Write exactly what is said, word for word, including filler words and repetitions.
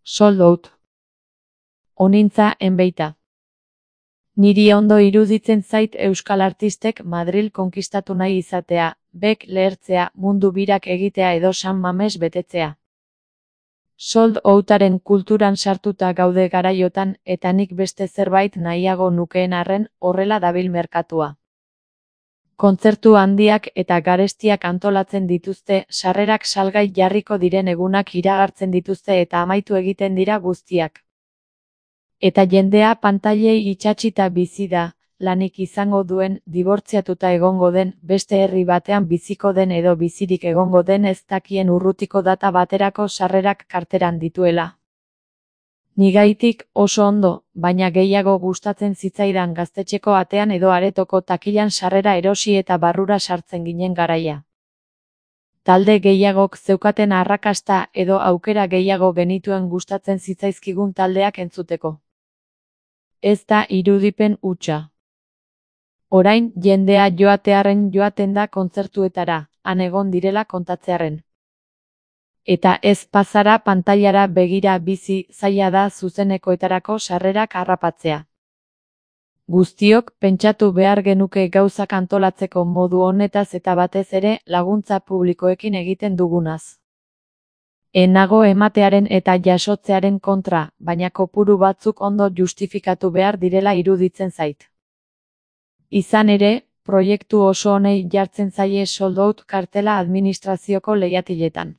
Sold out. Onintza enbeita. Niri ondo iruditzen zait euskal artistek Madril konkistatu nahi izatea, bek lehertzea, mundu birak egitea edo San Mames betetzea. Sold outaren kulturan sartuta gaude garaiotan, eta nik beste zerbait nahiago nukeen arren, horrela dabil merkatua. Kontzertu handiak eta garestiak antolatzen dituzte, sarrerak salgai jarriko diren egunak iragartzen dituzte eta amaitu egiten dira guztiak. Eta jendea pantailei itsatsita bizi da, lanik izango duen, dibortziatuta egongo den, beste herri batean biziko den edo bizirik egongo den ez dakien urrutiko data baterako sarrerak karteran dituela. Nigaitik oso ondo, baina gehiago gustatzen zitzaidan gaztetxeko atean edo aretoko takilan sarrera erosi eta barrura sartzen ginen garaia. Talde gehiagok zeukaten arrakasta edo aukera gehiago genituen gustatzen zitzaizkigun taldeak entzuteko. Ez da irudipen hutsa. Orain jendea joatearren joaten da kontzertuetara, han egon direla kontatzearren. Eta ez pasara pantailara begira bizi, zaila da zuzenekoetarako sarrerak harrapatzea. Guztiok pentsatu behar genuke gauzak antolatzeko modu honetaz eta batez ere laguntza publikoekin egiten dugunaz. Enago ematearen eta jasotzearen kontra, baina kopuru batzuk ondo justifikatu behar direla iruditzen zait. Izan ere, proiektu oso honei jartzen zaie sold out kartela administrazioko leihatiletan.